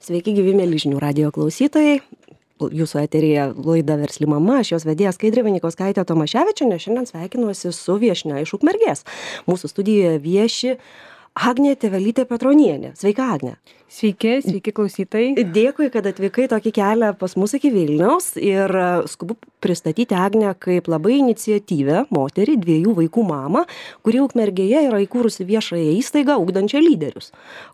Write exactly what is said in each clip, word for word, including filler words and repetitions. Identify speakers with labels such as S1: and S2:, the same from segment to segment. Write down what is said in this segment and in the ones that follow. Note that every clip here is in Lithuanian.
S1: Sveiki, gyvi mėly žinių radijo klausytojai. Jūsų eteryje laida Versli mama, aš jos vedėja Skaidrė Vanikauskaitė Tomaševičienė. Šiandien sveikinuosi su viešnia iš Ukmergės. Mūsų studijoje vieši Agnė Tėvelytė Petronienė. Sveika, Agnė.
S2: Sveiki, sveiki klausytojai.
S1: Dėkui, kad atvykai tokį kelią pas mus iki Vilniaus ir skubu pristatyti Agnę kaip labai iniciatyvę moterį, dviejų vaikų mamą, kuri Ukmergėje yra įkūrusi viešąją įstaigą ugdančią lyderius.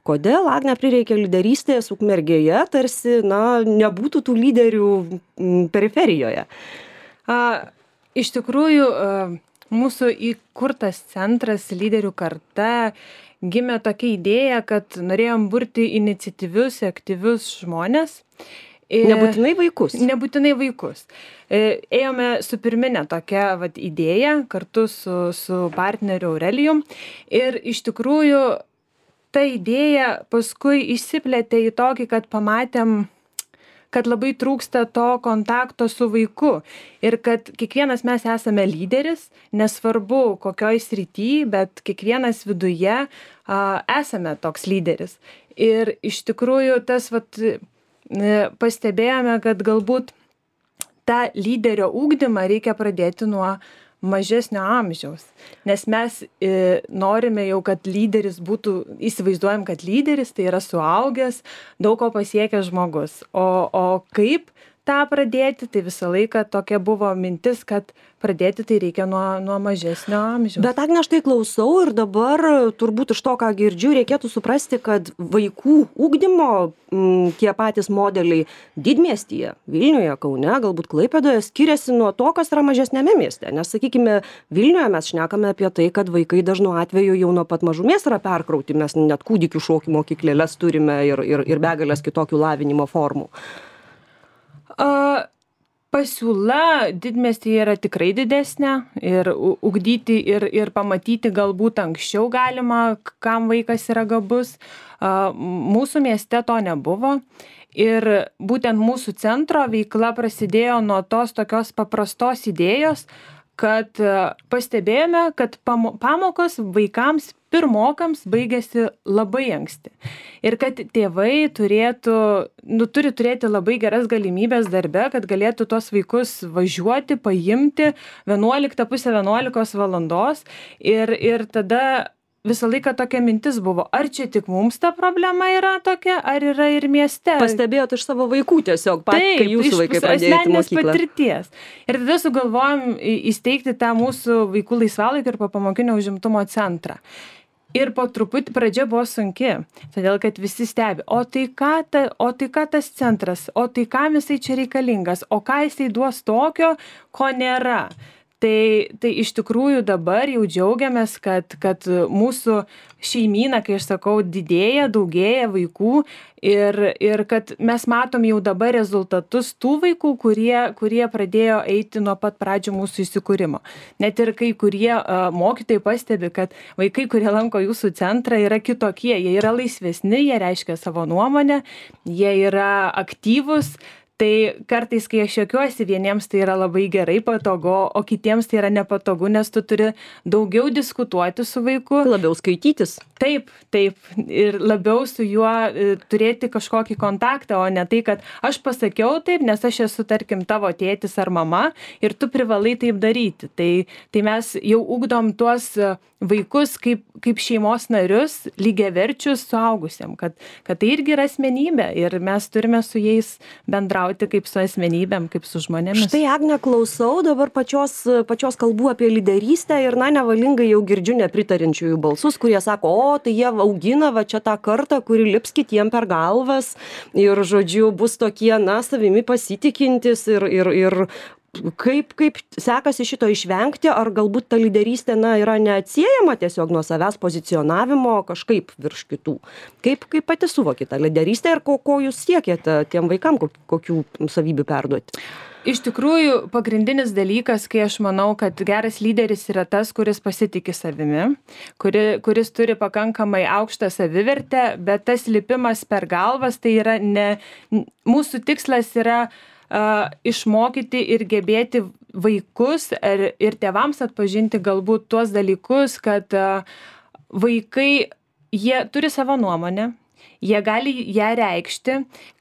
S1: Kodėl Agnė prireikė lyderystės Ukmergėje, tarsi, na, nebūtų tų lyderių m, periferijoje?
S2: A, iš tikrųjų, a, mūsų įkurtas centras Lyderių karta gimė tokia idėja, kad norėjom burti iniciatyvius, aktyvius žmonės.
S1: Ir nebūtinai vaikus.
S2: Nebūtinai vaikus. Ėjome su pirminė tokia vat, idėja kartu su, su partneriu Aurelijum. Ir iš tikrųjų ta idėja paskui išsiplėtė į tokį, kad pamatėm, kad labai trūksta to kontakto su vaiku ir kad kiekvienas mes esame lyderis, nesvarbu kokioj srity, bet kiekvienas viduje a, esame toks lyderis. Ir iš tikrųjų tas vat, pastebėjome, kad galbūt tą lyderio ugdymą reikia pradėti nuo mažesnio amžiaus, nes mes e, norime jau, kad lyderis būtų, įsivaizduojam, kad lyderis tai yra suaugęs, daug ko pasiekęs žmogus. O, o kaip tą pradėti, tai visą laiką tokia buvo mintis, kad pradėti tai reikia nuo, nuo mažesnio amžiaus.
S1: Bet Agne, aš tai klausau ir dabar turbūt iš to, ką girdžiu, reikėtų suprasti, kad vaikų ugdymo m, tie patys modeliai didmiestyje, Vilniuje, Kaune, galbūt Klaipėdoje skiriasi nuo to, kas yra mažesnėme mieste. Nes, sakykime, Vilniuje mes šnekame apie tai, kad vaikai dažnu atveju jau nuo pat mažumės yra perkrauti, mes net kūdikių šokių mokyklėles turime ir, ir, ir begalės kitokių lavinimo formų.
S2: Uh, pasiūla didmiestyje yra tikrai didesnė ir ugdyti ir, ir pamatyti galbūt anksčiau galima, kam vaikas yra gabus. Uh, mūsų mieste to nebuvo ir būtent mūsų centro veikla prasidėjo nuo tos tokios paprastos idėjos, kad pastebėjome, kad pamokos vaikams pirmokams baigėsi labai anksti. Ir kad tėvai turėtų, nu, turi turėti labai geras galimybės darbe, kad galėtų tos vaikus važiuoti, paimti vienuoliktą pusę vienuolikos valandos. Ir, ir tada visą laiką tokia mintis buvo, ar čia tik mums ta problema yra tokia, ar yra ir mieste.
S1: Pastebėjot iš savo vaikų tiesiog, pat, kai jūsų vaikai pradėjo eiti į mokyklą.
S2: Patirties. Ir tada sugalvojom įsteigti tą mūsų vaikų laisvalaikio ir popamokinio užimtumo centrą. Ir po truputį pradžia buvo sunki, todėl kad visi stebi, o tai ką, ta, o tai ką tas centras, o tai kam jisai čia reikalingas, o ką jisai duos tokio, ko nėra. Tai, tai iš tikrųjų dabar jau džiaugiamės, kad, kad mūsų šeimyna, kai aš sakau, didėja, daugėja vaikų ir, ir kad mes matom jau dabar rezultatus tų vaikų, kurie, kurie pradėjo eiti nuo pat pradžių mūsų įsikūrimo. Net ir kai kurie uh, mokytojai pastebi, kad vaikai, kurie lanko jūsų centrą, yra kitokie, jie yra laisvesni, jie reiškia savo nuomonę, jie yra aktyvūs. Tai kartais, kai aš juokiuosi, vieniems tai yra labai gerai, patogu, o kitiems tai yra nepatogu, nes tu turi daugiau diskutuoti su vaiku.
S1: Labiau skaitytis.
S2: Taip, taip. Ir labiau su juo e, turėti kažkokį kontaktą, o ne tai, kad aš pasakiau taip, nes aš esu, tarkim, tavo tėtis ar mama ir tu privalai taip daryti. Tai, tai mes jau ugdom tuos vaikus kaip, kaip šeimos narius, lygiaverčius suaugusiem, kad, kad tai irgi yra asmenybė ir mes turime su jais bendrauti kaip su asmenybėm, kaip su žmonėmis.
S1: Štai, Agne, klausau dabar pačios, pačios kalbų apie lyderystę ir, na, nevalingai jau girdžiu nepritarinčiųjų balsus, kurie sako, o, tai jie augina va čia tą kartą, kuri lips kitiem per galvas ir, žodžiu, bus tokie, na, savimi pasitikintis ir, ir, ir kaip, kaip sekasi šito išvengti, ar galbūt ta lyderystė, na, yra neatsiejama tiesiog nuo savęs pozicionavimo kažkaip virš kitų. Kaip, kaip pati suvoki tą lyderystę ir ko, ko jūs siekėte tiem vaikam, kokių savybių perduoti?
S2: Iš tikrųjų, pagrindinis dalykas, kai aš manau, kad geras lyderis yra tas, kuris pasitiki savimi, kuri, kuris turi pakankamai aukštą savivertę, bet tas lipimas per galvas, tai yra ne, mūsų tikslas yra uh, išmokyti ir gebėti vaikus ir, ir tėvams atpažinti galbūt tuos dalykus, kad uh, vaikai, jie turi savo nuomonę, Jie gali ją reikšti,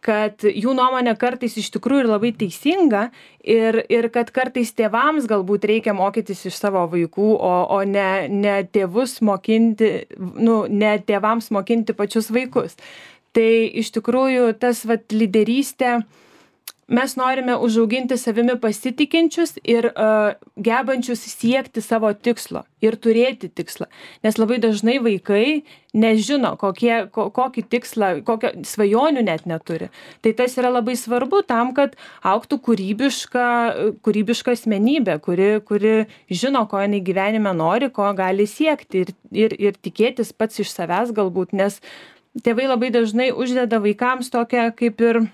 S2: kad jų nuomonė kartais iš tikrųjų ir labai teisinga ir, ir kad kartais tėvams galbūt reikia mokytis iš savo vaikų, o, o ne, ne tėvus mokinti, nu, ne tėvams mokinti pačius vaikus. Tai iš tikrųjų tas vat lyderystė, mes norime užauginti savimi pasitikinčius ir uh, gebančius siekti savo tikslo ir turėti tikslą. Nes labai dažnai vaikai nežino, kokie, ko, kokį tikslą, kokio svajonių net neturi. Tai tas yra labai svarbu tam, kad augtų kūrybiška, kūrybiška asmenybė, kuri, kuri žino, ko jinai gyvenime nori, ko gali siekti ir, ir, ir tikėtis pats iš savęs galbūt. Nes tėvai labai dažnai uždeda vaikams tokią kaip ir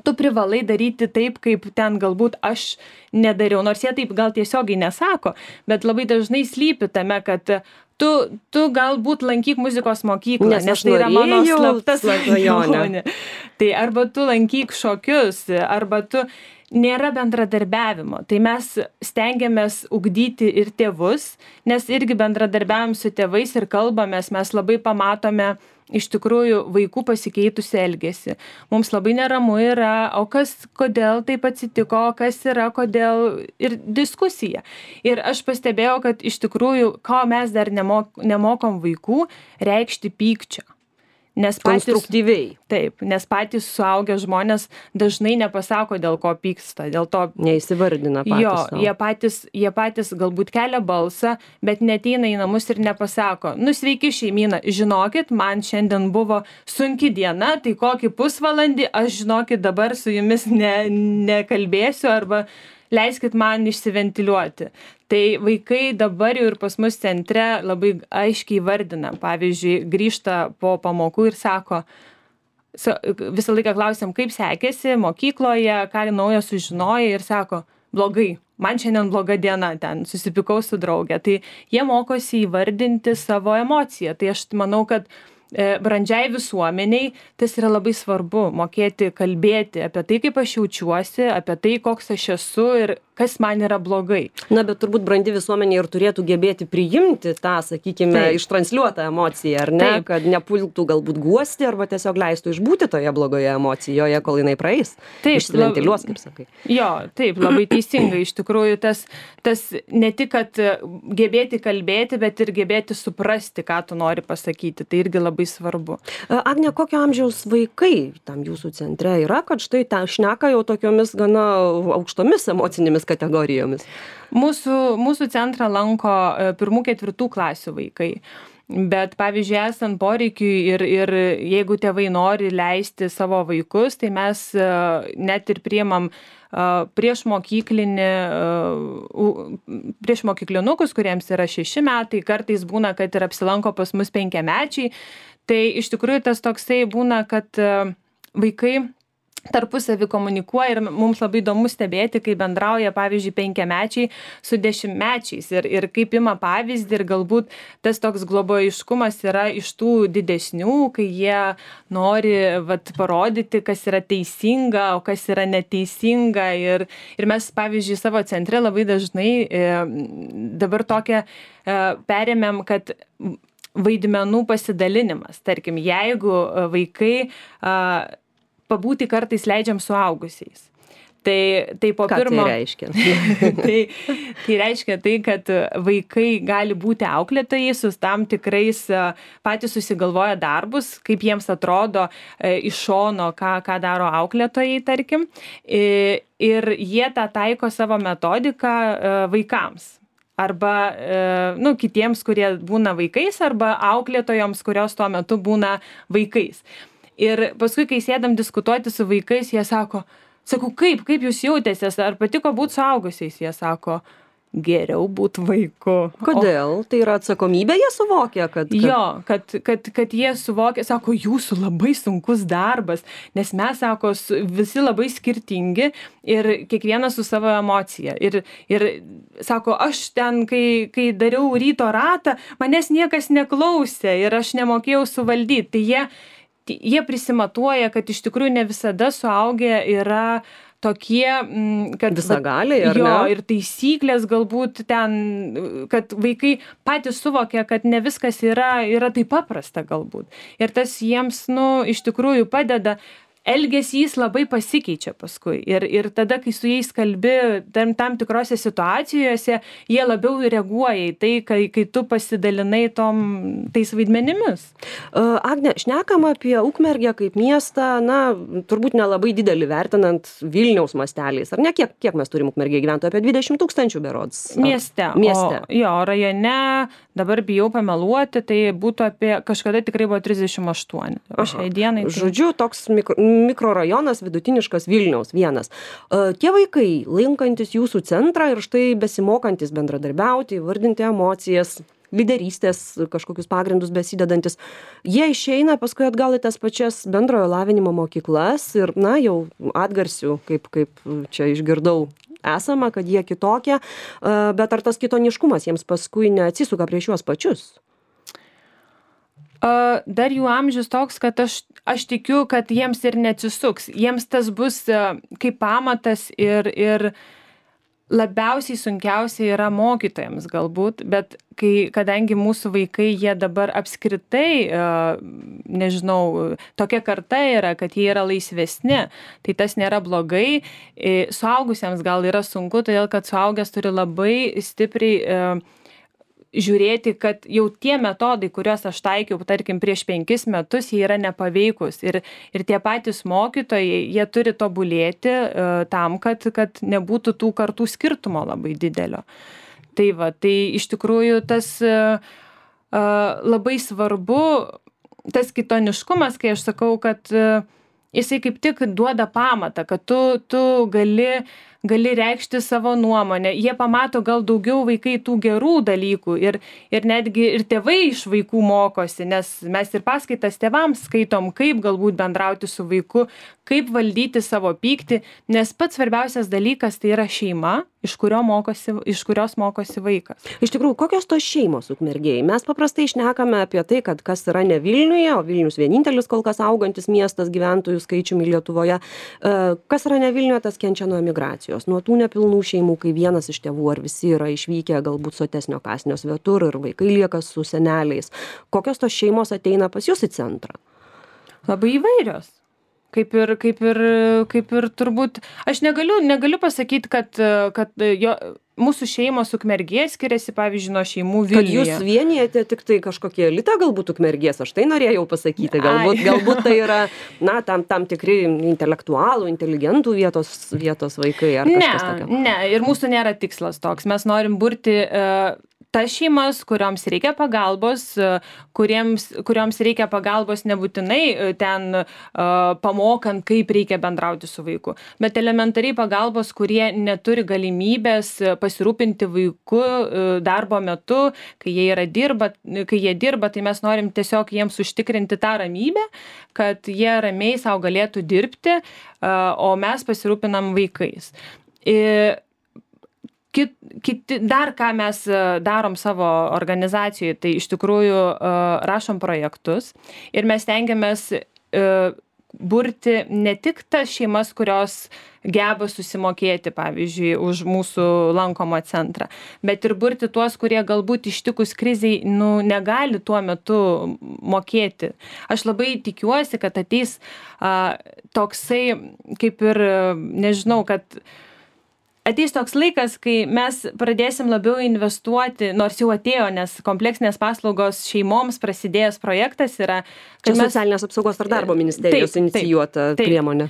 S2: tu privalai daryti taip, kaip ten galbūt aš nedariau, nors jie taip gal tiesiogiai nesako, bet labai dažnai slypi tame, kad tu, tu galbūt lankyk muzikos mokyklą, nes, nes tai yra mano slapta svajonė. Tai arba tu lankyk šokius, arba tu nėra bendradarbiavimo. Tai mes stengiamės ugdyti ir tėvus, nes irgi bendradarbiavom su tėvais ir kalbamės, mes labai pamatome iš tikrųjų vaikų pasikeitusi elgesį. Mums labai neramu yra, o kas, kodėl taip atsitiko, kas yra, kodėl ir diskusija. Ir aš pastebėjau, kad iš tikrųjų, ko mes dar nemok, nemokom vaikų, reikšti pykčio. Nes patys,
S1: konstruktyviai.
S2: Taip, nes patys suaugę žmonės dažnai nepasako, dėl ko pyksta, dėl to
S1: neįsivardina patys.
S2: Jo,
S1: sau.
S2: jie patys, jie patys galbūt kelia balsą, bet neteina į namus ir nepasako, nu sveiki šeimyna, žinokit, man šiandien buvo sunki diena, tai kokį pusvalandį aš žinokit dabar su jumis ne, nekalbėsiu arba leiskit man išsiventiliuoti. Tai vaikai dabar jau ir pas mus centre labai aiškiai vardina. Pavyzdžiui, grįžta po pamokų ir sako, visą laiką klausiam, kaip sekėsi mokykloje, ką naujo sužinojo ir sako, blogai, man šiandien bloga diena, ten susipykau su draugė. Tai jie mokosi įvardinti savo emociją. Tai aš manau, kad brandžiai visuomeniai tas yra labai svarbu, mokėti kalbėti apie tai, kaip aš jaučiuosi, apie tai, koks aš esu ir kas man yra blogai.
S1: Na, bet turbūt brandi visuomenė ir turėtų gebėti priimti tą, sakykime, Taip. Ištransliuotą emociją, ar ne? Taip. Kad nepultų galbūt guosti arba tiesiog leistų išbūti toje blogoje emocijoje, kol jinai praeis. Taip, išsiventiliuos, kaip sakai.
S2: Jo, taip, labai teisingai. Iš tikrųjų, tas, tas ne tik, kad gebėti kalbėti, bet ir gebėti suprasti, ką tu nori pasakyti. Tai irgi labai svarbu.
S1: Agne, kokio amžiaus vaikai tam jūsų centre yra, kad štai ten šneka jau tokiomis gana aukštomis emocinėmis kategorijomis?
S2: Mūsų, mūsų centrą lanko pirmų ketvirtų klasių vaikai. Bet, pavyzdžiui, esant poreikiui ir, ir jeigu tėvai nori leisti savo vaikus, tai mes net ir priimam prieš mokyklinį, prieš mokyklinukus, kuriems yra šeši metai, kartais būna, kad ir apsilanko pas mus penkiamečiai. Tai iš tikrųjų tas toksai būna, kad vaikai tarpusavį komunikuoja ir mums labai įdomu stebėti, kai bendrauja, pavyzdžiui, penkiamečiai su dešimtmečiais ir, ir kaip ima pavyzdį ir galbūt tas toks globojiškumas yra iš tų didesnių, kai jie nori vat, parodyti, kas yra teisinga, o kas yra neteisinga ir, ir mes, pavyzdžiui, savo centre labai dažnai e, dabar tokią e, perėmėm, kad vaidmenų pasidalinimas. Tarkim, jeigu vaikai a, pabūti kartais leidžiam suaugusiais. Tai, tai po
S1: Ką
S2: pirmo...
S1: tai reiškia?
S2: tai, tai reiškia tai, kad vaikai gali būti auklėtojai su tam tikrais patys susigalvoja darbus, kaip jiems atrodo iš šono, ką, ką daro auklėtojai, tarkim. Ir jie tą taiko savo metodiką vaikams. Arba nu, kitiems, kurie būna vaikais, arba auklėtojoms, kurios tuo metu būna vaikais. Ir paskui, kai sėdam diskutuoti su vaikais, jie sako, sakau, kaip, kaip jūs jautėsės, ar patiko būti suaugusiais? Jie sako, geriau būti vaiku.
S1: Kodėl? O, tai yra atsakomybė, jie suvokia, kad... kad...
S2: Jo, kad, kad, kad jie suvokia, sako, jūsų labai sunkus darbas, nes mes, sako, visi labai skirtingi ir kiekvienas su savo emocija. Ir, ir sako, aš ten, kai, kai dariau ryto ratą, manęs niekas neklausė ir aš nemokėjau suvaldyti. Tai jie Jie prisimatuoja, kad iš tikrųjų ne visada suaugę yra tokie, kad...
S1: Visagaliai, ar
S2: jo,
S1: ne?
S2: Ir taisyklės galbūt ten, kad vaikai patys suvokia, kad ne viskas yra, yra taip paprasta galbūt. Ir tas jiems, nu, iš tikrųjų padeda. Elgesys labai pasikeičia paskui ir, ir tada, kai su jais kalbi tam, tam tikrose situacijose, jie labiau reaguoja į tai, kai, kai tu pasidalinai tom, tais vaidmenimis.
S1: Uh, Agne, šnekam apie Ukmergę kaip miestą, na, turbūt nelabai didelį vertinant Vilniaus masteliais. Ar ne, kiek, kiek mes turim Ukmergėje gyventojų? Apie dvidešimt tūkstančių berods. Ar...
S2: Mieste.
S1: Mieste.
S2: O, jo, rajone, dabar bijau pameluoti, tai būtų apie, kažkada tikrai buvo trisdešimt aštuoni. O šiai dienai. Tai...
S1: Žodžiu, toks mikro... mikrorajonas vidutiniškas Vilniaus vienas. Tie vaikai, lankantis jūsų centrą ir štai besimokantis bendradarbiauti, vardinti emocijas, lyderystės kažkokius pagrindus besidedantis, jie išeina paskui atgal į tas pačias bendrojo lavinimo mokyklas ir, na, jau atgarsių, kaip, kaip čia išgirdau, esama, kad jie kitokie, bet ar tas kitoniškumas jiems paskui neatsisuka prieš juos pačius?
S2: Uh, dar jų amžius toks, kad aš, aš tikiu, kad jiems ir neatsisuks. Jiems tas bus uh, kaip pamatas ir, ir labiausiai sunkiausia yra mokytojams galbūt, bet kai, kadangi mūsų vaikai, jie dabar apskritai, uh, nežinau, tokia karta yra, kad jie yra laisvesni, tai tas nėra blogai. Suaugusiems gal yra sunku, todėl kad suaugęs turi labai stipriai uh, žiūrėti, kad jau tie metodai, kuriuos aš taikiau, tarkim, prieš penkis metus, jie yra nepaveikus. Ir, ir tie patys mokytojai, jie turi tobulėti uh, tam, kad, kad nebūtų tų kartų skirtumo labai didelio. Tai va, tai iš tikrųjų tas uh, uh, labai svarbu, tas kitoniškumas, kai aš sakau, kad uh, jisai kaip tik duoda pamatą, kad tu, tu gali gali reikšti savo nuomonę. Jie pamato gal daugiau vaikai tų gerų dalykų ir, ir netgi ir tėvai iš vaikų mokosi, nes mes ir paskaitas tėvams skaitom, kaip galbūt bendrauti su vaiku, kaip valdyti savo pyktį, nes pats svarbiausias dalykas tai yra šeima, iš, kurio mokosi, iš kurios mokosi vaikas.
S1: Iš tikrųjų, kokios tos šeimos Ukmergėje? Mes paprastai šnekame apie tai, kad kas yra ne Vilniuje, o Vilnius vienintelis kol kas augantis miestas gyventojų skaičiumi Lietuvoje. Kas yra ne Vilniuje, tas kenčia nuo emigracijos. Nuo tų nepilnų šeimų, kai vienas iš tėvų ar visi yra išvykę galbūt sotesnio kąsnio svetur ir vaikai lieka su seneliais. Kokios tos šeimos ateina pas jūs į centrą?
S2: Labai įvairios. Kaip ir, kaip ir, kaip ir turbūt, aš negaliu, negaliu pasakyti, kad, kad jo, mūsų šeimos Ukmergės skiriasi, pavyzdžiui, nuo šeimų Vilniuje.
S1: Kad jūs vienijate tik tai kažkokie elitą galbūt Ukmergės, aš tai norėjau pasakyti. Galbūt, galbūt tai yra, na, tam, tam tikri intelektualų, inteligentų vietos, vietos vaikai ar kažkas tokio.
S2: Ne, ne, ir mūsų nėra tikslas toks. Mes norim burti uh, tas šeimas, kurioms reikia pagalbos, kuriems, kurioms reikia pagalbos nebūtinai ten uh, pamokant, kaip reikia bendrauti su vaiku, bet elementariai pagalbos, kurie neturi galimybės pasirūpinti vaiku uh, darbo metu, kai jie, yra dirba, kai jie dirba, tai mes norim tiesiog jiems užtikrinti tą ramybę, kad jie ramiai savo galėtų dirbti, uh, o mes pasirūpinam vaikais. Ir Kit, kiti, dar ką mes darom savo organizacijoje, tai iš tikrųjų uh, rašom projektus ir mes tengiamės uh, burti ne tik tas šeimas, kurios geba susimokėti, pavyzdžiui, už mūsų lankomą centrą, bet ir burti tuos, kurie galbūt ištikus kriziai nu, negali tuo metu mokėti. Aš labai tikiuosi, kad ateis uh, toksai, kaip ir, nežinau, kad ateis toks laikas, kai mes pradėsim labiau investuoti, nors jau atėjo, nes kompleksinės paslaugos šeimoms prasidėjęs projektas yra.
S1: Čia mes, socialinės apsaugos ir darbo ministerijos taip, inicijuota taip, taip, priemonė.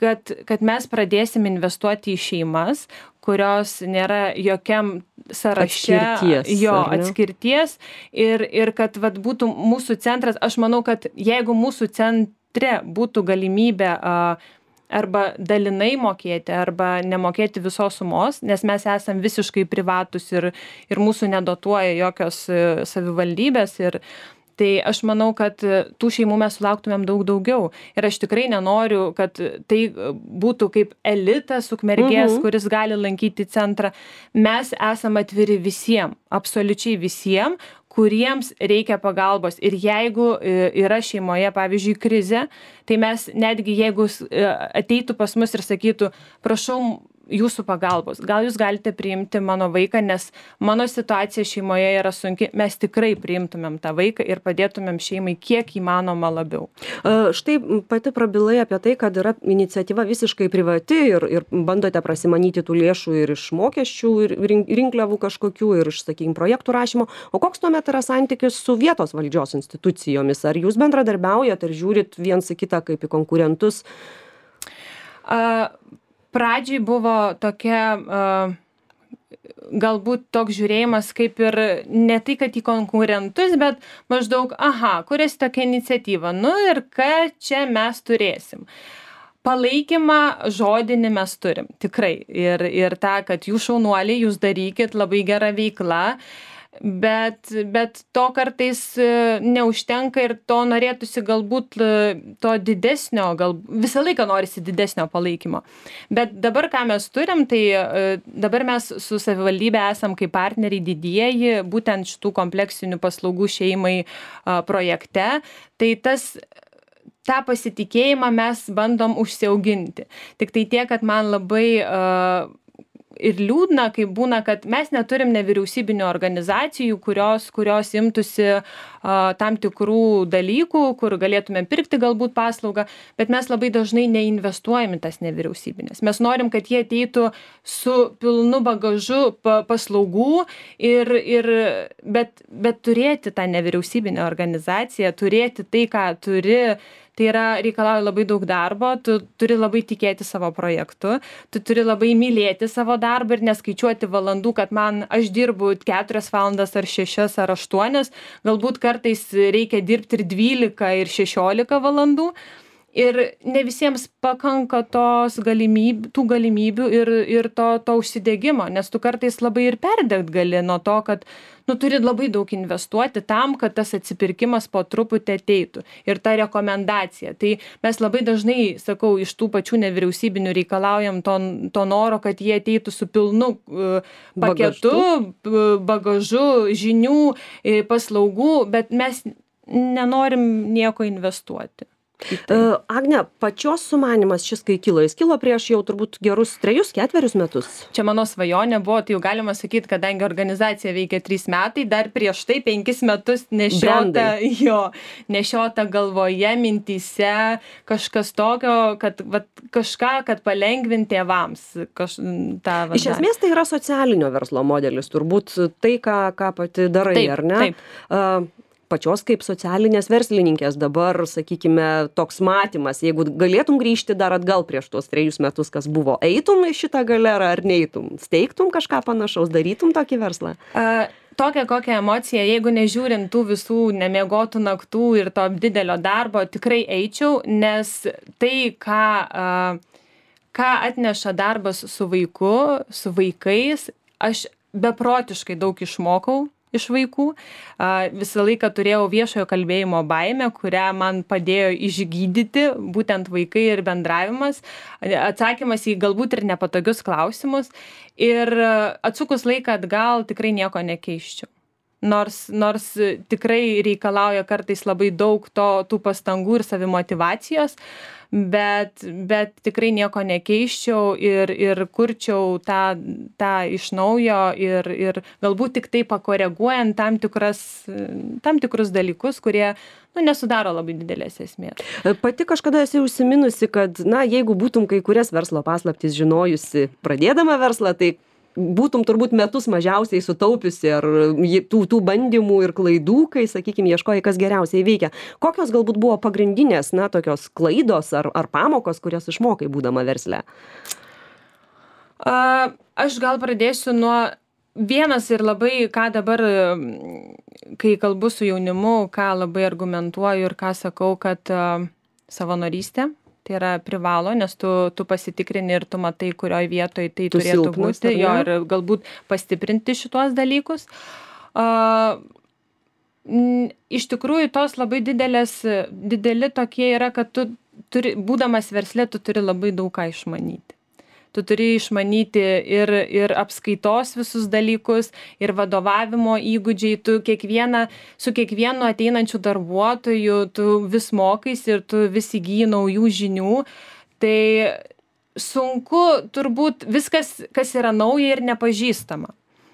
S2: Kad, kad mes pradėsim investuoti į šeimas, kurios nėra jokiam sąraše
S1: atskirties,
S2: jo atskirties ir, ir kad vat, būtų mūsų centras, aš manau, kad jeigu mūsų centre būtų galimybė uh, arba dalinai mokėti, arba nemokėti visos sumos, nes mes esam visiškai privatus ir, ir mūsų nedotuoja jokios savivaldybės. Ir tai aš manau, kad tų šeimų mes sulauktumėm daug daugiau. Ir aš tikrai nenoriu, kad tai būtų kaip elitas Ukmergės, mhm. kuris gali lankyti centrą. Mes esam atviri visiems, absoliučiai visiems, kuriems reikia pagalbos. Ir jeigu yra šeimoje, pavyzdžiui, krizė, tai mes netgi jeigu ateitų pas mus ir sakytų, prašau jūsų pagalbos, gal jūs galite priimti mano vaiką, nes mano situacija šeimoje yra sunki, mes tikrai priimtumėm tą vaiką ir padėtumėm šeimai kiek įmanoma labiau.
S1: Štai pati prabilai apie tai, kad yra iniciatyva visiškai privati ir, ir bandote prasimanyti tų lėšų ir iš mokesčių, ir rinkliavų kažkokių, ir iš, sakykime, projektų rašymo. O koks tuomet yra santykis su vietos valdžios institucijomis? Ar jūs bendradarbiaujat, ar žiūrit viens į kitą kaip į konkurentus?
S2: Uh, Pradžiai buvo tokia, uh, galbūt toks žiūrėjimas kaip ir ne tai, kad į konkurentus, bet maždaug, aha, kuriasi tokia iniciatyva, nu ir ką čia mes turėsim. Palaikymą žodinį mes turim, tikrai. Ir, ir tą, kad jūs šaunuoliai, jūs darykit, labai gera veikla. Bet, bet to kartais neužtenka ir to norėtųsi galbūt to didesnio, gal visą laiką norisi didesnio palaikymo. Bet dabar, ką mes turim, tai dabar mes su savivaldybė esam kaip partneriai didieji, būtent šitų kompleksinių paslaugų šeimai projekte. Tai tas tą pasitikėjimą mes bandom užsiauginti. Tik tai tiek, kad man labai uh, ir liūdna, kai būna, kad mes neturim nevyriausybinių organizacijų, kurios, kurios imtųsi uh, tam tikrų dalykų, kur galėtumėm pirkti galbūt paslaugą, bet mes labai dažnai neinvestuojam į tas nevyriausybinės. Mes norim, kad jie ateitų su pilnu bagažu pa, paslaugų, ir, ir, bet, bet turėti tą nevyriausybinę organizaciją, turėti tai, ką turi, tai yra reikalauja labai daug darbo, tu turi labai tikėti savo projektu, tu turi labai mylėti savo darbą ir neskaičiuoti valandų, kad man aš dirbu keturias valandas ar šešias ar aštuonias, galbūt kartais reikia dirbti ir dvylika ir šešiolika valandų. Ir ne visiems pakanka tos galimybių, tų galimybių ir, ir to, to užsidegimo, nes tu kartais labai ir perdegt gali nuo to, kad nu, turi labai daug investuoti tam, kad tas atsipirkimas po truputį ateitų. Ir ta rekomendacija. Tai mes labai dažnai, sakau, iš tų pačių nevyriausybinių reikalaujam to, to noro, kad jie ateitų su pilnu uh, paketu, bagažu, bagažu žinių, paslaugų, bet mes nenorim nieko investuoti.
S1: Uh, Agne, pačios sumanymas šis kai kilo, jis kilo prieš jau turbūt gerus trejus, ketverius metus.
S2: Čia mano svajonė buvo, tai jau galima sakyti, kadangi organizacija veikia trys metai, dar prieš tai penkis metus nešiota, jo, nešiota galvoje, mintyse, kažkas tokio, kad vat, kažką, kad palengvinti tėvams. Kaž, tą, vat,
S1: Iš esmės tai yra socialinio verslo modelis, turbūt tai, ką, ką pati darai,
S2: taip,
S1: ar ne?
S2: Taip.
S1: Uh, pačios kaip socialinės verslininkės dabar, sakykime, toks matymas, jeigu galėtum grįžti dar atgal prieš tuos trejus metus, kas buvo, eitum į šitą galerą ar neitum, steigtum kažką panašaus, darytum tokį verslą?
S2: Uh, tokią kokią emociją, jeigu nežiūrint tų visų nemiegotų naktų ir to didelio darbo, tikrai eičiau, nes tai, ką, uh, ką atneša darbas su vaiku, su vaikais, aš beprotiškai daug išmokau iš vaikų. Visą laiką turėjau viešojo kalbėjimo baimę, kurią man padėjo išgydyti būtent vaikai ir bendravimas, atsakymas į galbūt ir nepatogius klausimus. Ir atsukus laiką atgal tikrai nieko nekeiščiau. Nors, nors tikrai reikalauja kartais labai daug to, tų pastangų ir savimotyvacijos, bet, bet tikrai nieko nekeiščiau ir, ir kurčiau tą, tą iš naujo ir, ir galbūt tik tai pakoreguojant tam, tikras, tam tikrus dalykus, kurie nu, nesudaro labai didelės esmės.
S1: Pati kažkada esi užsiminusi, kad na, jeigu būtum kai kurias verslo paslaptis žinojusi pradėdama verslą, tai būtum turbūt metus mažiausiai sutaupiusi ar tų, tų bandymų ir klaidų, kai, sakykime, ieškojai, kas geriausiai veikia. Kokios galbūt buvo pagrindinės, na, tokios klaidos ar, ar pamokos, kurias išmokai būdama versle?
S2: A, aš gal pradėsiu nuo vienas ir labai, ką dabar, kai kalbu su jaunimu, ką labai argumentuoju ir ką sakau, kad a, savanorystė. Tai yra privalo, nes tu, tu pasitikrini ir tu matai, kurioj vietoj tai tu turėtų silpnas, būti, jo, ir galbūt pastiprinti šitos dalykus. Uh, iš tikrųjų, tos labai didelės, dideli tokie yra, kad tu turi, būdamas versle, tu turi labai daug ką išmanyti. tu turi išmanyti ir, ir apskaitos visus dalykus, ir vadovavimo įgūdžiai, tu kiekvieną, su kiekvienu ateinančiu darbuotoju, tu vis mokais ir tu vis įgyji naujų žinių. Tai sunku turbūt viskas, kas yra nauja ir nepažįstama.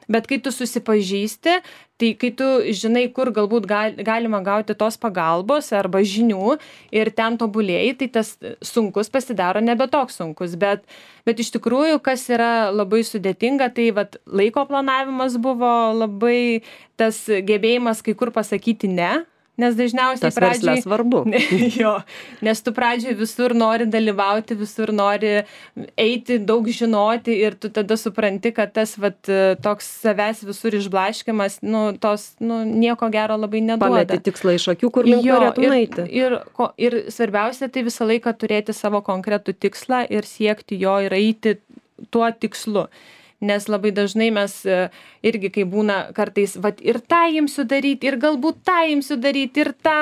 S2: Bet kai tu susipažįsti, tai kai tu žinai, kur galbūt gal, galima gauti tos pagalbos arba žinių ir ten tobulėjai, tai tas sunkus pasidaro nebe toks sunkus. Bet, bet iš tikrųjų, kas yra labai sudėtinga, tai vat, laiko planavimas buvo labai tas gebėjimas kai kur pasakyti ne. Nes dažniausiai
S1: tas pradžiai... Tas svarbu.
S2: Jo, nes tu pradžiai visur nori dalyvauti, visur nori eiti, daug žinoti ir tu tada supranti, kad tas vat, toks savęs visur išblaškimas, nu, tos, nu, nieko gero labai neduoda.
S1: Pameti tikslą iš akių, kur link norėtum eiti.
S2: Ir, ir, ir svarbiausia, tai visą laiką turėti savo konkretų tikslą ir siekti jo ir eiti tuo tikslu. Nes labai dažnai mes irgi, kai būna kartais, vat, ir tą imsiu daryti, ir galbūt tą imsiu daryti, ir tą,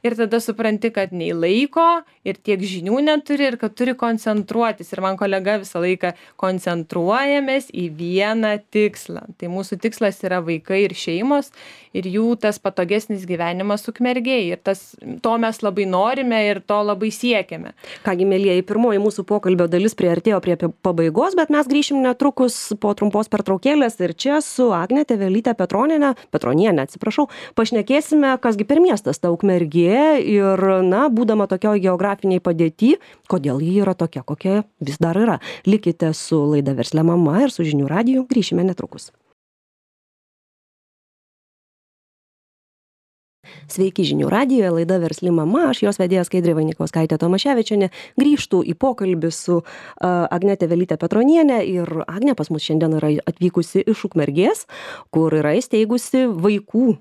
S2: ir tada supranti, kad nei laiko, ir tiek žinių neturi, ir kad turi koncentruotis. Ir man kolega visą laiką koncentruojamės į vieną tikslą. Tai mūsų tikslas yra vaikai ir šeimos, ir jų tas patogesnis gyvenimas Ukmergėje. Ir tas, to mes labai norime ir to labai siekiame.
S1: Kągi, mielieji, pirmoji mūsų pokalbio dalis priartėjo prie pabaigos, bet mes grįšim netrukus po trumpos pertraukėlės ir čia su Agne Tevelyte Petroniene, Petroniene, atsiprašau, pašnekėsime, kasgi per miestas ta Ukmergė ir, na, būdama tokioj geografiniai padėty, kodėl ji yra tokia, kokia vis dar yra. Likite su laida Versli mama ir su Žinių radiju, grįšime netrukus. Sveiki Žinių radijoje, laida Versli mama, aš jos vedėja Skaidrė Vainikauskaitė Tomaševičienė. Grįžtu į pokalbį su uh, Agne Tevelyte Petroniene ir Agnė pas mus šiandien yra atvykusi iš Ukmergės, kur yra įsteigusi vaikų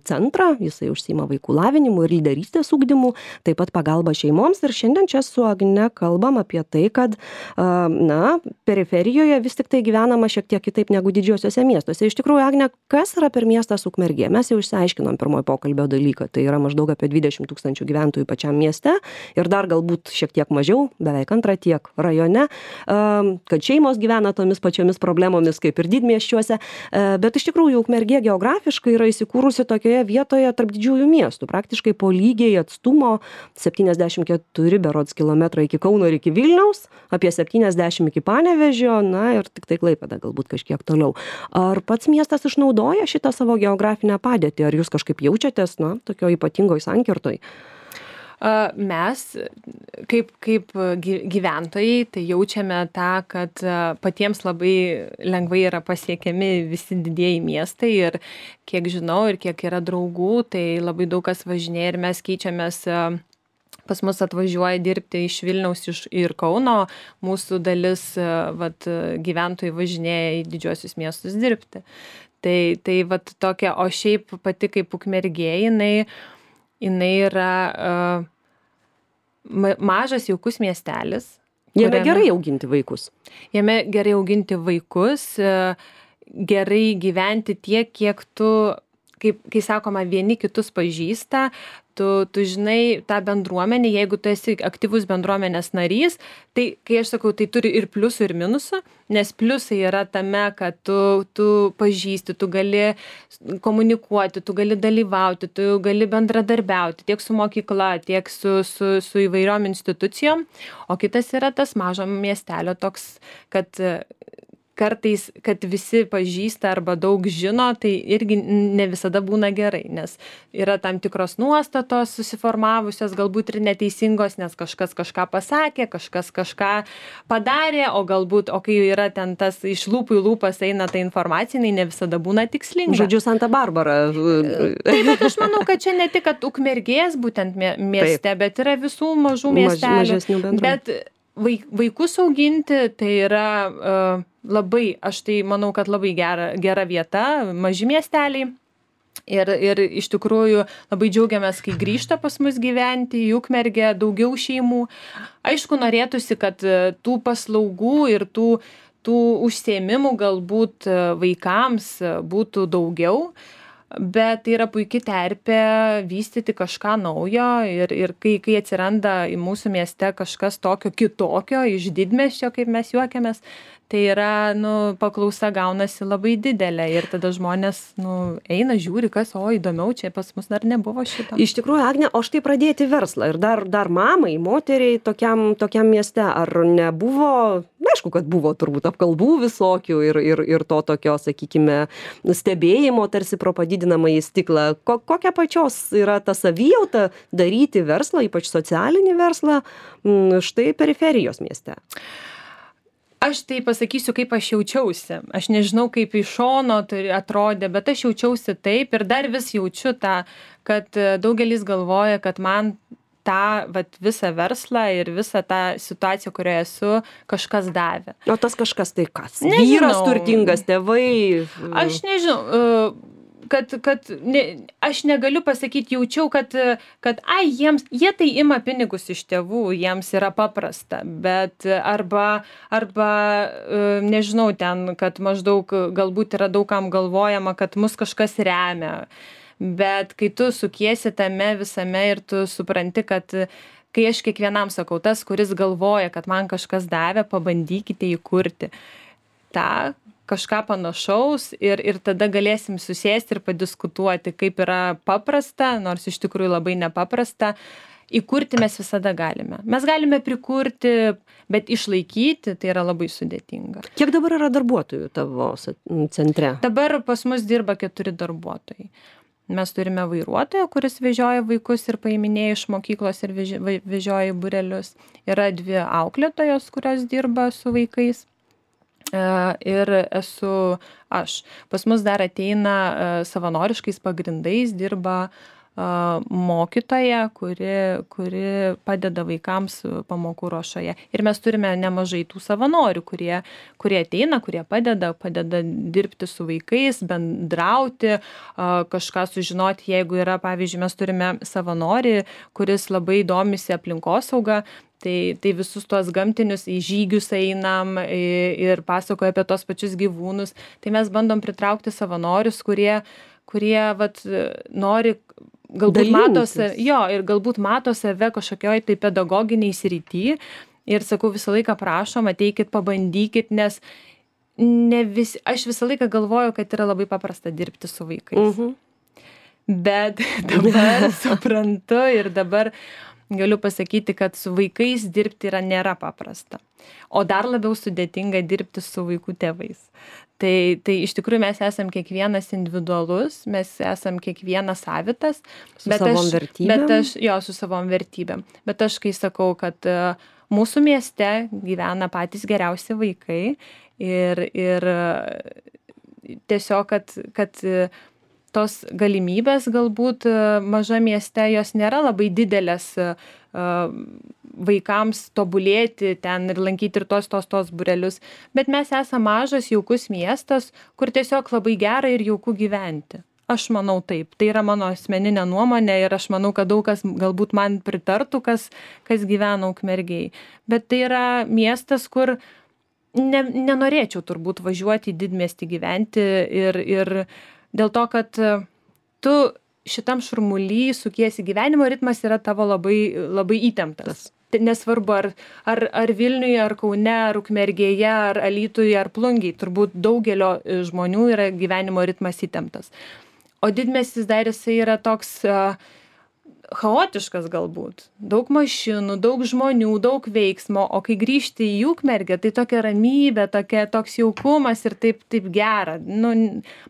S1: centrą, jisai užsiima vaikų lavinimu ir lyderystės ugdymu, taip pat pagalba šeimoms ir šiandien čia su Agne kalbam apie tai, kad na, periferijoje vis tik tai gyvenama šiek tiek kitaip negu didžiosiuose miestuose. Iš tikrųjų, Agne, kas yra per miestas Ukmergė? Mes jau išsiaiškinom pirmojo pokalbio dalyką, tai yra maždaug apie dvidešimt tūkstančių gyventojų pačiam mieste ir dar galbūt šiek tiek mažiau, beveik antrą tiek rajone, kad šeimos gyvena tomis pačiomis problemomis kaip ir didmiesčiuose, bet iš tikrųjų Ukmergė geografiškai yra įsikūrusi tokioje vietoje tarp didžiųjų miestų, praktiškai po lygiai atstumo septyniasdešimt keturi berods kilometrai iki Kauno ir iki Vilniaus, apie septyniasdešimt iki Panevėžio, na ir tik tai Klaipėda galbūt kažkiek toliau. Ar pats miestas išnaudoja šitą savo geografinę padėtį, ar jūs kažkaip jaučiatės, na, tokio ypatingoj sankirtoj?
S2: Mes, kaip, kaip gyventojai, tai jaučiame tą, kad patiems labai lengvai yra pasiekiami visi didieji miestai ir kiek žinau ir kiek yra draugų, tai labai daug kas važinėja ir mes keičiamės. Pas mus atvažiuoja dirbti iš Vilniaus iš, ir Kauno, mūsų dalis vat, gyventojai važinėja į didžiuosius miestus dirbti. Tai, tai vat, tokia, o šiaip pati kaip Ukmergė, jinai jinai yra uh, mažas jaukus miestelis.
S1: Jame kuriame, gerai auginti vaikus.
S2: Jame gerai auginti vaikus, uh, gerai gyventi tiek, kiek tu, kaip, kai sakoma, vieni kitus pažįsta, tu, tu žinai tą bendruomenę, jeigu tu esi aktyvus bendruomenės narys, tai, kai aš sakau, tai turi ir pliusų, ir minusų, nes pliusai yra tame, kad tu, tu pažįsti, tu gali komunikuoti, tu gali dalyvauti, tu gali bendradarbiauti tiek su mokykla, tiek su, su, su įvairiom institucijom, o kitas yra tas mažo miestelio toks, kad kartais, kad visi pažįsta arba daug žino, tai irgi ne visada būna gerai, nes yra tam tikros nuostatos susiformavusios, galbūt ir neteisingos, nes kažkas kažką pasakė, kažkas kažką padarė, o galbūt, o kai yra ten tas iš lūpų į lūpas eina ta informacija, ne visada būna tikslinga.
S1: Žodžiu, Santa Barbara.
S2: Taip, bet aš manau, kad čia ne tik, kad Ukmergės būtent mieste, Taip. Bet yra visų mažų miestelių.
S1: Maž,
S2: bet vaikus auginti, tai yra uh, labai, aš tai manau, kad labai gera, gera vieta, maži miesteliai. Ir, ir iš tikrųjų labai džiaugiamės, kai grįžta pas mus gyventi į Ukmergę daugiau šeimų. Aišku, norėtųsi, kad tų paslaugų ir tų, tų užsiėmimų galbūt vaikams būtų daugiau. bet tai yra puiki terpė vystyti kažką naujo ir ir kai kai atsiranda į mūsų mieste kažkas tokio kitokio iš didmiesčio, kaip mes juokiamės, tai yra, nu, paklausa gaunasi labai didelė ir tada žmonės, nu, eina, žiūri, kas, o įdomiau, čia pas mus dar nebuvo šito.
S1: Iš tikrųjų, Agne, o štai pradėti verslą ir dar, dar mamai, moteriai tokiam, tokiam mieste, ar nebuvo, na, aišku, kad buvo turbūt apkalbų visokių ir, ir, ir to tokio, sakykime, stebėjimo tarsi pro padidinamąjį stiklą. Ko, kokia pačios yra ta savijauta daryti verslą, ypač socialinį verslą, štai periferijos mieste?
S2: Aš tai pasakysiu, kaip aš jaučiausi. Aš nežinau, kaip iš šono tai atrodė, bet aš jaučiausi taip ir dar vis jaučiu tą, kad daugelis galvoja, kad man tą vat, visą verslą ir visą tą situaciją, kurioje esu, kažkas davė.
S1: O tas kažkas tai kas?
S2: Nežinau.
S1: Vyras turtingas, tėvai?
S2: Aš nežinau. kad, kad ne, aš negaliu pasakyti, jaučiau, kad, kad ai, jiems, jie tai ima pinigus iš tėvų, jiems yra paprasta, bet arba, arba nežinau ten, kad maždaug galbūt yra daugam galvojama, kad mus kažkas remia, bet kai tu sukiesi tame visame ir tu supranti, kad kai aš kiekvienam sakau, tas, kuris galvoja, kad man kažkas davė, pabandykite įkurti tą kažką panašaus ir, ir tada galėsim susėsti ir padiskutuoti, kaip yra paprasta, nors iš tikrųjų labai nepaprasta. Įkurti mes visada galime. Mes galime prikurti, bet išlaikyti tai yra labai sudėtinga.
S1: Kiek dabar yra darbuotojų tavo centre?
S2: Dabar pas mus dirba keturi darbuotojai. Mes turime vairuotoją, kuris vežioja vaikus ir paiminėja iš mokyklos ir vežioja į būrelius. Yra dvi auklėtojos, kurios dirba su vaikais. Ir esu aš. Pas mus dar ateina savanoriškais pagrindais, dirba mokytoja, kuri, kuri padeda vaikams pamokų ruošoje. Ir mes turime nemažai tų savanorių, kurie, kurie ateina, kurie padeda, padeda dirbti su vaikais, bendrauti, kažką sužinoti, jeigu yra, pavyzdžiui, mes turime savanorį, kuris labai domisi aplinkosauga. Tai, tai visus tuos gamtinius į žygius einam ir pasakoja apie tos pačius gyvūnus. Tai mes bandom pritraukti savanorius, kurie, kurie vat, nori, galbūt mato, jo, ir galbūt mato save kažkokioj tai pedagoginiai srity. Ir sakau, visą laiką prašom, ateikit, pabandykit, nes ne vis, aš visą laiką galvoju, kad yra labai paprasta dirbti su vaikais. Mhm. Bet dabar suprantu ir dabar galiu pasakyti, kad su vaikais dirbti yra nėra paprasta. O dar labiau sudėtinga dirbti su vaikų tėvais. Tai, tai iš tikrųjų mes esam kiekvienas individualus, mes esam kiekvienas savitas.
S1: Su savom
S2: aš,
S1: vertybėm?
S2: Bet aš, jo, su savom vertybėm. Bet aš kai sakau, kad uh, mūsų mieste gyvena patys geriausi vaikai ir, ir uh, tiesiog, kad, kad uh, tos galimybės galbūt maža mieste, jos nėra labai didelės vaikams tobulėti ten ir lankyti ir tos, tos, tos būrelius. Bet mes esame mažas, jaukus miestas, kur tiesiog labai gera ir jauku gyventi. Aš manau taip. Tai yra mano asmeninė nuomonė ir aš manau, kad daug kas galbūt man pritartų, kas, kas gyvena Ukmergėj. Bet tai yra miestas, kur ne, nenorėčiau turbūt važiuoti į didmiestį gyventi ir, ir dėl to, kad tu šitam šurmuly sukiesi, gyvenimo ritmas yra tavo labai, labai įtemptas. Nesvarbu, ar, ar, ar Vilniuje, ar Kaune, ar Ukmergėje, ar Alytuje, ar Plungėje. Turbūt daugelio žmonių yra gyvenimo ritmas įtemptas. O didmiestis dar jisai yra toks uh, chaotiškas galbūt. Daug mašinų, daug žmonių, daug veiksmo, o kai grįžti į Ukmergę, tai tokia ramybė, tokia, toks jaukumas ir taip, taip gera. Nu,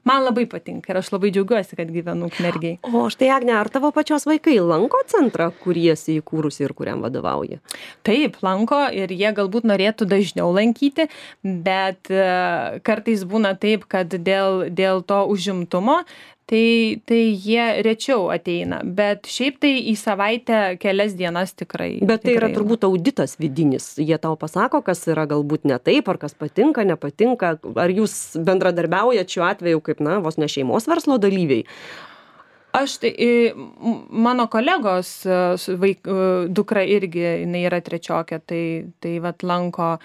S2: man labai patinka ir aš labai džiaugiuosi, kad gyvenu Ukmergėj.
S1: O štai, Agne, ar tavo pačios vaikai lanko centrą, kurį esi įkūrusi ir kuriam vadovauji?
S2: Taip, lanko ir jie galbūt norėtų dažniau lankyti, bet uh, kartais būna taip, kad dėl, dėl to užimtumo Tai, tai jie rečiau ateina, bet šiaip tai į savaitę kelias dienas tikrai.
S1: Bet tai
S2: tikrai
S1: yra turbūt auditas vidinis. Jie tau pasako, kas yra galbūt ne taip, ar kas patinka, nepatinka. Ar jūs bendradarbiaujat šiuo atveju kaip, na, vos ne šeimos verslo dalyviai?
S2: Aš tai, mano kolegos vaik, dukra irgi, jinai yra trečiokė, tai, tai vat lanko.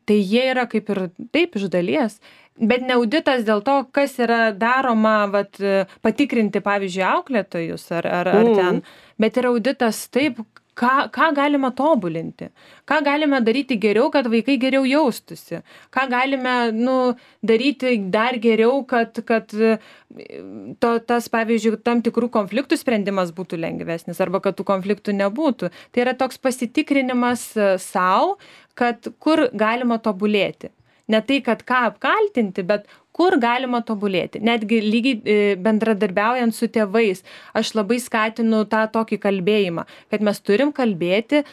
S2: tai jie yra kaip ir taip iš dalies, bet ne auditas dėl to, kas yra daroma, vat, patikrinti, pavyzdžiui, auklėtojus ar, ar, ar
S1: Mm.
S2: ten, bet yra auditas taip, ką, ką galima tobulinti, ką galime daryti geriau, kad vaikai geriau jaustųsi, ką galime nu, daryti dar geriau, kad, kad to, tas, pavyzdžiui, tam tikrų konfliktų sprendimas būtų lengvesnis arba kad tų konfliktų nebūtų. Tai yra toks pasitikrinimas savo, kad kur galima tobulėti. Ne tai, kad ką apkaltinti, bet kur galima tobulėti. Netgi lygiai bendradarbiaujant su tėvais, aš labai skatinu tą tokį kalbėjimą, kad mes turim kalbėti,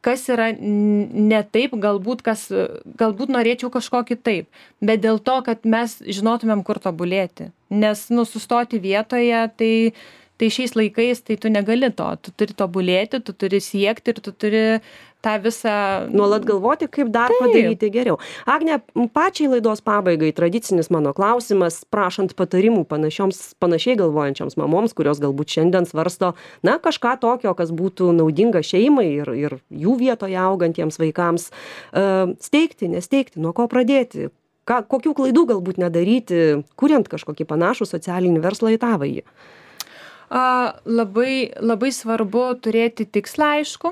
S2: kas yra ne taip, galbūt, kas, galbūt norėčiau kažko kitaip, bet dėl to, kad mes žinotumėm, kur tobulėti. Nes nu, sustoti vietoje, tai, tai šiais laikais tai tu negali to. Tu turi tobulėti, tu turi siekti ir tu turi tą visą...
S1: Nuolat galvoti, kaip dar
S2: Taip.
S1: padaryti geriau. Agne, pačiai laidos pabaigai tradicinis mano klausimas, prašant patarimų panašioms, panašiai galvojančioms mamoms, kurios galbūt šiandien svarsto, na, kažką tokio, kas būtų naudinga šeimai ir, ir jų vietoje augantiems vaikams. Uh, steigti, nesteigti, nuo ko pradėti, ką, kokių klaidų galbūt nedaryti, kuriant kažkokį panašų socialinį verslą į tavąjį.
S2: A, labai, labai svarbu turėti tikslą aišku,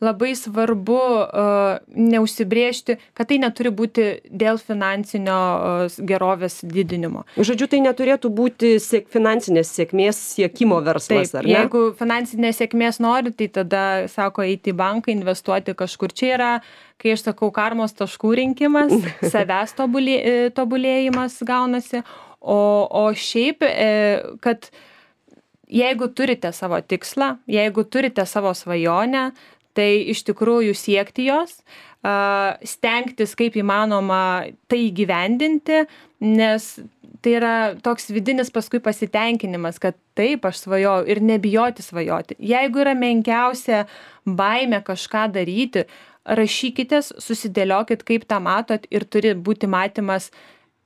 S2: labai svarbu a, neužsibrėžti, kad tai neturi būti dėl finansinio a, gerovės didinimo.
S1: Žodžiu, tai neturėtų būti siek, finansinės sėkmės siekimo verslas,
S2: Taip,
S1: ar ne?
S2: jeigu finansinės sėkmės nori, tai tada, sako, eiti į banką, investuoti kažkur. Čia yra, kai aš sakau, karmos taškų rinkimas, savęs tobulė, tobulėjimas gaunasi, o, o šiaip, e, kad jeigu turite savo tikslą, jeigu turite savo svajonę, tai iš tikrųjų siekti jos, stengtis kaip įmanoma tai įgyvendinti, nes tai yra toks vidinis paskui pasitenkinimas, kad taip aš svajojau ir nebijoti svajoti. Jeigu yra menkiausia baimė kažką daryti, rašykitės, susidėliokit, kaip tą matot ir turi būti matymas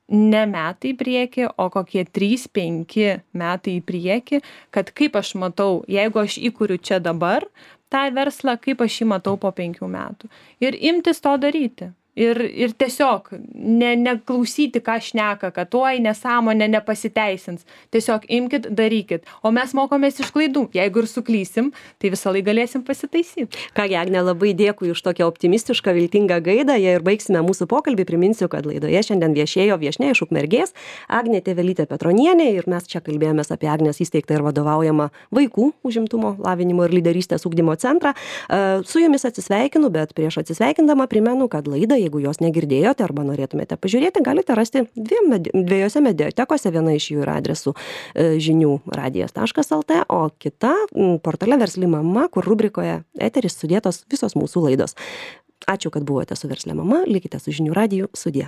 S2: ne metai į priekį, o kokie trys penki metai į priekį, kad kaip aš matau, jeigu aš įkuriu čia dabar tą verslą, kaip aš jį matau po penkių metų. Ir imtis to daryti. Ir, ir tiesiog ne, neklausyti, ką šneka, kad tuoj nesąmonė nepasiteisins. Tiesiog imkit, darykit. O mes mokomės iš klaidų. Jeigu ir suklysim, tai visą laiką galėsim pasitaisyti.
S1: Kągi, Agne, labai dėkui už tokią optimistišką, viltingą gaidą. Jei ir baigsime mūsų pokalbį, priminsiu, kad laidoje šiandien viešėjo viešnia iš Ukmergės, Agnė Tėvelytė Petronienė, ir mes čia kalbėjomės apie Agnės įsteigtą ir vadovaujamą vaikų užimtumo, lavinimo ir lyderystės ugdymo centrą. Su jumis atsisveikinu, bet prieš atsisveikindama primenu, kad laidą, jeigu jos negirdėjote arba norėtumėte pažiūrėti, galite rasti dviem, dviejose mediatekose, viena iš jų yra adresu žinių radijas taškas lt, o kita portale Versli mama, kur rubrikoje eteris sudėtos visos mūsų laidos. Ačiū, kad buvote su Versli mama, likite su žinių radiju, sudie.